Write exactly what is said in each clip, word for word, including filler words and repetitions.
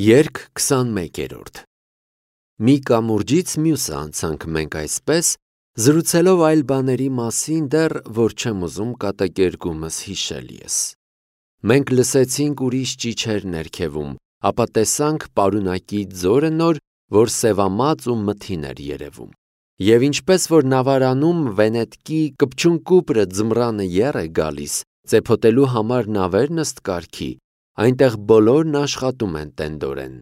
Երգ քսանմեկերորդ Մի կամուրջից մյուսը անցանք մենք այսպես, զրուցելով այլ բաների մասին դեռ, որ չեմ ուզում կատակերգումս հիշել ես: Մենք լսեցինք ուրիշ ճիչեր ներքևում, ապա տեսանք պարունակի ձորը նոր, որ սևամած ու մթին էր երևում: Եվ ինչպես որ նավարանում վենետկի կպչուն կուպրը ձմռանը եռ է գալիս, ծեփոտելու համար նավերն ըստ կարգի, այնտեղ բոլորն աշխատում են տենդորեն: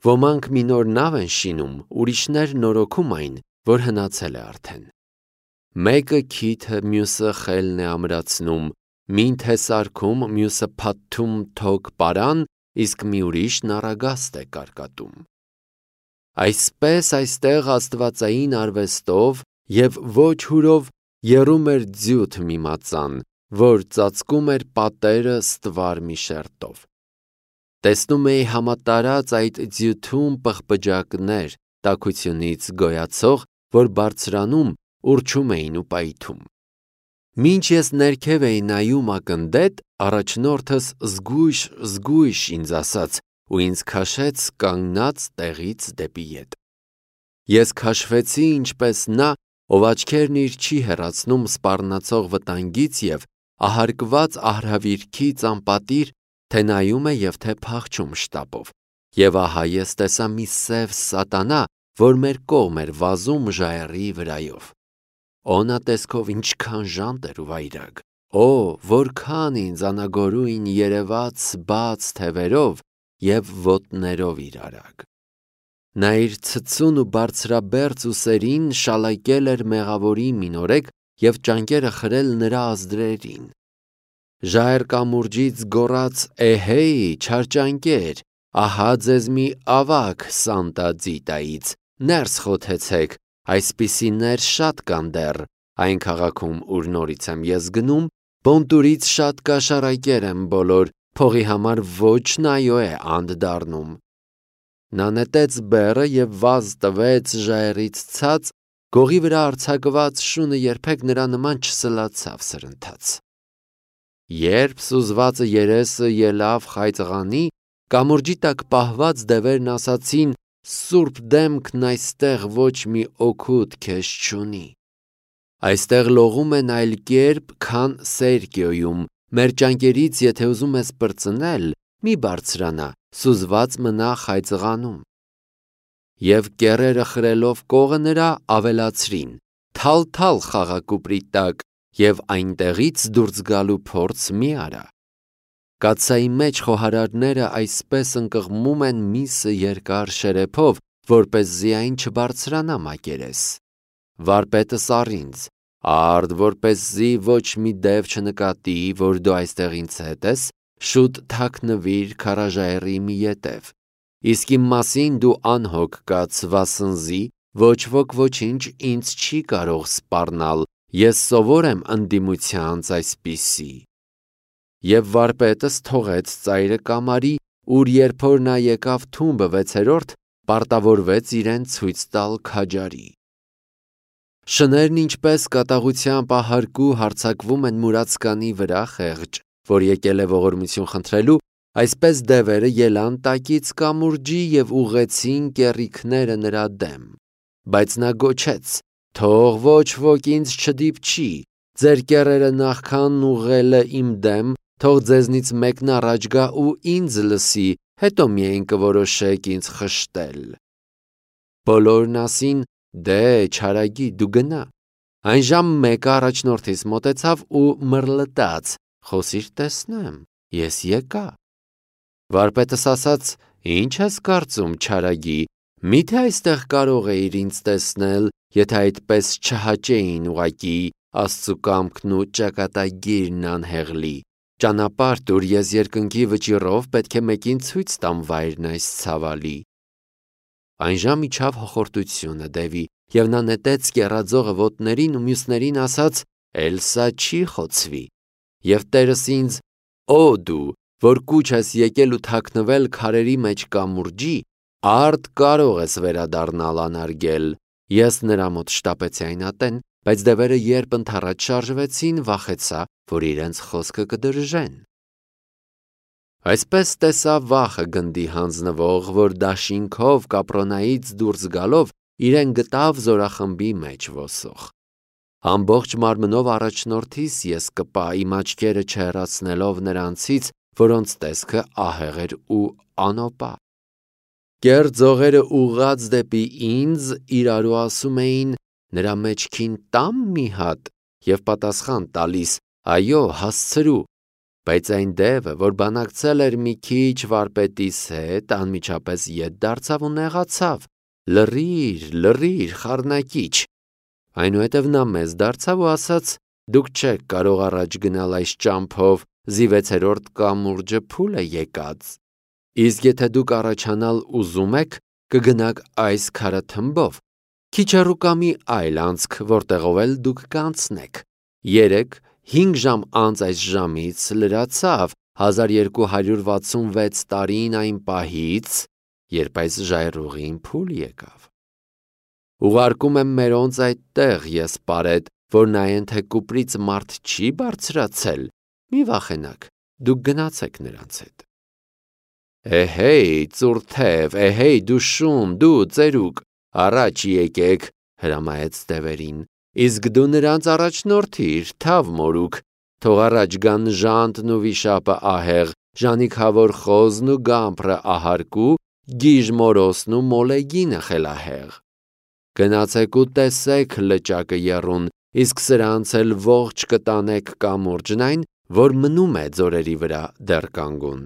Ոմանք մի նոր նավ են շինում, ուրիշներ նորոգում այն, որ հնացել է արդեն: Մեկը քիթը, մյուսը խելն է ամրացնում, մինթ է սարքում, մյուսը փաթթում թոք պարան, իսկ մի ուրիշն առագաստ է կարկատում: Այսպես այստեղ աստվածային արվեստով և ոչ հուրով եռում էր ձիութ մի մածան, որ ծածկում էր պատերը ստվար մի շերտով: Տեսնում էի համատարած այդ ձիութում պղպջակներ, տաքությունից գոյացող, որ բարձրանում, ուռչում էին ու պայթում: Մինչ ես ներքև էի նայում ակնդետ, առաջնորդս զգույշ-զգույշ ինձ ասաց ու ինձ քաշեց կանգնած տեղից դեպի ետ: Ես քաշվեցի ինչպես նա, ով աչքերն իր չի հեռացնում սպառնացող վտանգից և ահարկված արհավիրքից անպատիր, թե նայում է և թե փախչում շտապով: Եվ ահա ես տեսա մի սև սատանա, որ մեր կողմ էր վազում ժայռի վրայով: Օնա տեսքով ինչքան ժանտ էր ու վայրագ: Օ, որքան ինձ անագորույն երևաց բաց թևերով և ոտներով իր արագ: Նա իր ցցուն ու բարձրաբերձ ուսերին շալակել էր մեղավորի մինորեկ և ճանկերը խրել նրա ազդրերին: Ժայռ կամուրջից գոռաց էհեյ չար ճանկեր, ահա ձեզ մի ավագ Սանտա Ձիտայից, ներս խոթեցեք, այսպիսիներ շատ կան դեռ այն քաղաքում ուր նորից եմ ես գնում, բոնտուրից շատ կաշառակեր են բոլոր, փողի համար ոչ նայո է անդ դառնում: Նա նետեց բեռը և վազ տվեց ժայռից ցած, գողի վրա արձակված շունը երբեք նրա նման չսլացավ սրընթաց: Երբ սուզվածը երեսը ելավ խայծղանի, կամուրջի տակ պահված դևերն ասացին սուրբ դեմքն այստեղ ոչ մի օգուտ քեզ չունի: Այստեղ լողում են այլ կերպ, քան Սերկիոյում, մեր ճանկերից եթե ուզում ես պրծնել, մի բարձրանա, սուզված մնա խայծղանում: Եվ կեռերը խրելով կողը նրա, ավելացրին թալ-թալ խաղա կուպրի տակ և այնտեղից դուրս գալու փորձ մի արա: Կաթսայի մեջ խոհարարները այսպես ընկղմում են միսը երկար շերեփով, որպեսզի այն չբարձրանա մակերես: Վարպետս առ ինձ, արդ որպեսզի ոչ մի դև չնկատի, որ դու այստեղ ինձ հետ ես, շուտ թաքնվիր քարաժայռի մի ետև: Իսկ իմ մասին դու անհոգ կաց, վասնզի ոչ ոք ոչինչ ինձ չի կարող սպառնալ, ես սովոր եմ ընդդիմությանց այսպիսի: Եվ վարպետս թողեց ծայրը կամարի, ուր երբ որ նա եկավ թումբը վեցերորդ, պարտավորվեց իրեն ցույց տալ քաջարի: Շներն ինչպես կատաղությամբ ահարկու հարձակվում են մուրացկանի վրա խեղճ, որ եկել է ողորմություն խնդրելու, այսպես դևերը ելան տակից կամուրջի և ուղղեցին կեռիքները նրա դեմ: Բայց նա գոչեց. թող ոչ ոք ինձ չդիպչի, ձեր կեռերը նախքան ուղղելը իմ դեմ, թող ձեզնից մեկն առաջ գա ու ինձ լսի, հետո միայն կորոշեք ինձ խշտել: Բոլորն ասին. դե չարագի դու գնա: Այն ժամ մեկը առաջնորդիս մոտեցավ ու մռլտաց. խոսիր տեսնեմ, ես եկա: Վարպետս ասաց. ինչ ես կարծում չարագի, միթե այստեղ կարող էիր ինձ տեսնել, եթե այդպես չհաճեին ուղղակի Աստծու կամքն ու ճակատագիրն անհեղլի: Ճանապարհ տուր, ես երկնքի վճիռով պետք է մեկին ցույց տամ վայրն այս ցավալի: Այնժամ իջավ հոխորտությունը դևի, և նա նետեց կեռաձողը ոտներին ու մյուսներին ասաց. էլ սա չի խոցվի: Եվ տերս ինձ. Օ դու, որ կուչ ես եկել ու թաքնվել քարերի մեջ կամուրջի, արդ կարող ես վերադառնալ անարգել: Ես նրա մոտ շտապեցի այն ատեն, բայց դևերը երբ ընդառաջ շարժվեցին, վախեցա, որ իրենց խոսքը կդրժեն: Այսպես տեսավ վախը գնդի հանձնվող, որ դաշինքով կապրոնայից դուրս գալով իրեն գտավ զորախմբի մեջ ոսող։ Ամբողջ մարմնով առաջնորդիս ես կպա իմ աչքերը չհեռացնելով նրանցից, որոնց տեսքը ահեղ էր ու անոպա։ Կեռ ձողերը ուղղած դեպի ինձ իրարու ասում էին նրա մեջքին տամ մի հատ և պատասխան տալիս այո հասցրու, բայց այն դևը, որ բանակցել էր մի քիչ վարպետիս հետ, անմիջապես ետ դարձավ ու նեղացավ. լռիր, լռիր, խառնակիչ։ Այնուհետև նա մեզ դարձավ ու ասաց. դուք չեք կարող առաջ գնալ այս ճամփով, զիվեցերորդ կամուրջը փուլ է եկած, իսկ եթե դուք առաջանալ ուզում եք, կգնաք այս քարաթմբով, քիչ հեռու կա մի այլ անցք, որտեղով էլ դուք կանցնեք։ Երեկ հինգ ժամ անց այս ժամից լրացավ հազար երկու հարյուր վաթսունվեց տարին այն պահից, երբ այս ժայռուղին փուլ եկավ։ Ուղարկում եմ մերոնց այդտեղ, ես պարետ, որ նայեն, թե կուպրից մարդ չի բարձրացել, մի վախենաք, դուք գնացեք նրանց հետ։ Էհեյ, ծուռ թև, էհեյ, դու շուն, դու ծերուկ, առաջ եկեք, հրամայեց դևերին, իսկ դու նրանց առաջնորդիր, թավ մորուք, թող առաջ գան ժանտն ու վիշապը ահեղ, ժանիքավոր խոզն ու գամբրը ահարկու, գիժ մորոսն ու մոլեգինը խելահեղ։ Գնացեք ու տեսեք լճակը եռուն, իսկ սրանց էլ ողջ կտանեք կամուրջն այն, որ մնում է ձորերի վրա դեռ կանգուն։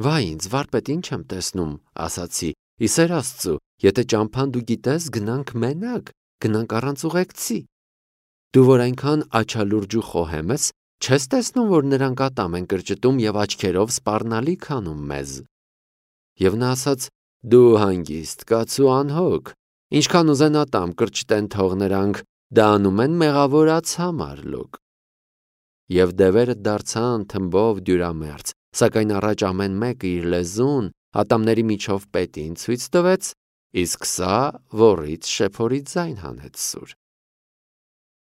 Վայ ինձ, վարպետ, ինչ եմ տեսնում, ասացի, ի սեր Աստծու, եթե ճամփան դու գիտես, գնանք մենակ, գնանք առանց ուղեկցի։ Դու որ այնքան աչալուրջ ու խոհեմ ես, չես տեսնում, որ նրանք ատամ են կրճտում և աչքերով սպառնալիք անում մեզ։ Եվ նա ասաց. դու հանգիստ կաց ու անհոգ, ինչքան ուզեն ատամ կրճտեն թող նրանք, դա անում են մեղավորաց համար լոկ։ Եվ դևերը դարձան թմբով դյուրամերձ, սակայն առաջ ամեն մեկը իր լեզուն ատամների միջով պետին ցույց տվեց, իսկ սա ոռից շեփորի ձայն հանեց սուր։